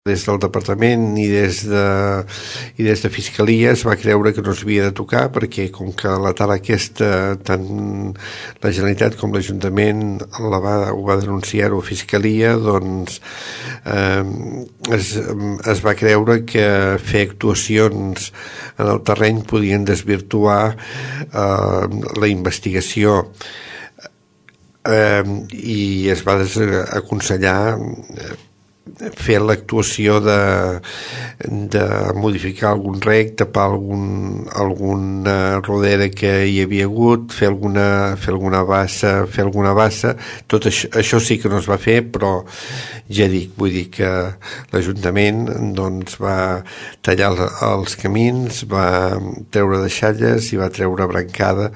Des del departament i des de Fiscalia es va creure que no s'havia de tocar perquè com que la tala aquesta tant la Generalitat com l'Ajuntament ho va denunciar-ho a Fiscalia, doncs es va creure que fer actuacions en el terreny podien desvirtuar la investigació i es va aconsellar fer l'actuació de modificar algun rec, tapar alguna rodera que hi havia hagut, fer alguna bassa. Tot això sí que no es va fer, però ja dic, vull dir que l'Ajuntament doncs va tallar els camins, va treure deixalles i va treure brancada